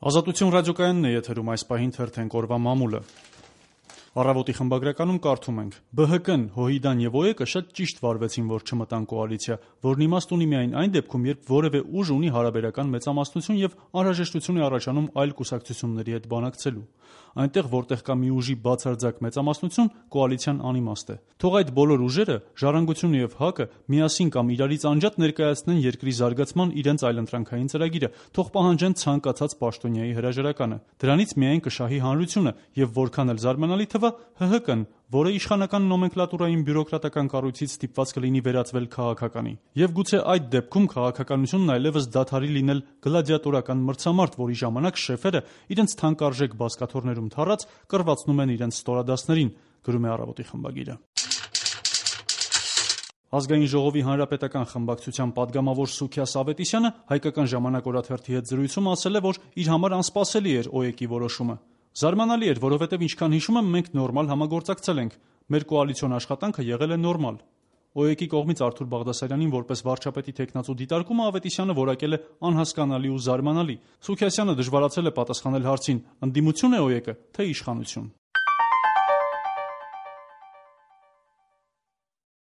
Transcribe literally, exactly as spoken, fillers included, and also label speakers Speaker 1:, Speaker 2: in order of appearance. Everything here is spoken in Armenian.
Speaker 1: Ազատություն ռադիոկայանն է եթերում, այս պահին թերթենք օրվա մամուլը։ Առավոտի խմբագրականում կարդում ենք. «Բը հը կն, ՀՅԴ-ն եւ ՕԵԿ-ը շատ ճիշտ վարվեցին, որ չմտան կոալիցիա, որն իմաստ ունի միայն այն դեպքում, երբ որևէ ուժ ունի հարաբերական մեծամասնություն եւ անհրաժեշտություն է առաջանում այլ կուսակցությունների հետ բանակցելու։ Այնտեղ, որտեղ կա մի ուժի բացարձակ մեծամասնություն, կոալիցիան անիմաստ է։ Թող այդ բոլոր ուժերը, Ժառանգությունը եւ ՀԱԿ-ը, միասին կամ իրարից անջատ ներկայացնեն երկրի զարգացման իրենց այլընտրանքային ծրագիրը, թող պահանջեն ցանկացած պաշտոնյայի հրաժարականը։ Դրանից միայն կշահի հանրությունը եւ որքան էլ զարմանալի թվա, ՀՀԿ-ն, որը իշխանական նոմենկլատուրային բյուրոկրատական կառույցից ստիպված կլինի վերածվել քաղաքականի։ Եվ գուցե այդ դեպքում քաղաքականությունն այլևս դադարի լինել գլադիատորական մրցամարտ, որի ժամանակ շեֆերը իրենց թանկարժեք բազկաթոռներում թռած կռվածնում են իրենց ստորադասներին», գրում է «Առավոտի» խմբագիրը։ Ազգային ժողովի հանրապետական խմբակցության պատգամավոր Սուքիաս Ավետիսյանը «Հայկական ժամանակ» օրաթերթի հետ զրույցում ասել է, որ իր համար անսպասելի էր ՕԵԿ-ի որոշումը։ «Զարմանալի էր, որովհետև ինչքան հիշում եմ, մենք նորմալ համագործակցել ենք։ Մեր կոալիցիոն աշխատանքը եղել է նորմալ»։ ՕԵԿ-ի կողմից Արթուր Բաղդասարյանին որպես վարչապետի թեկնածու դիտարկումը Ավետիսյանը որակել է անհասկանալի ու զարմանալի։ Սուքիասյանը դժվարացել է պատասխանել հարցին՝ ընդդիմությո՞ւն է ՕԵԿ-ը, թե իշխանություն։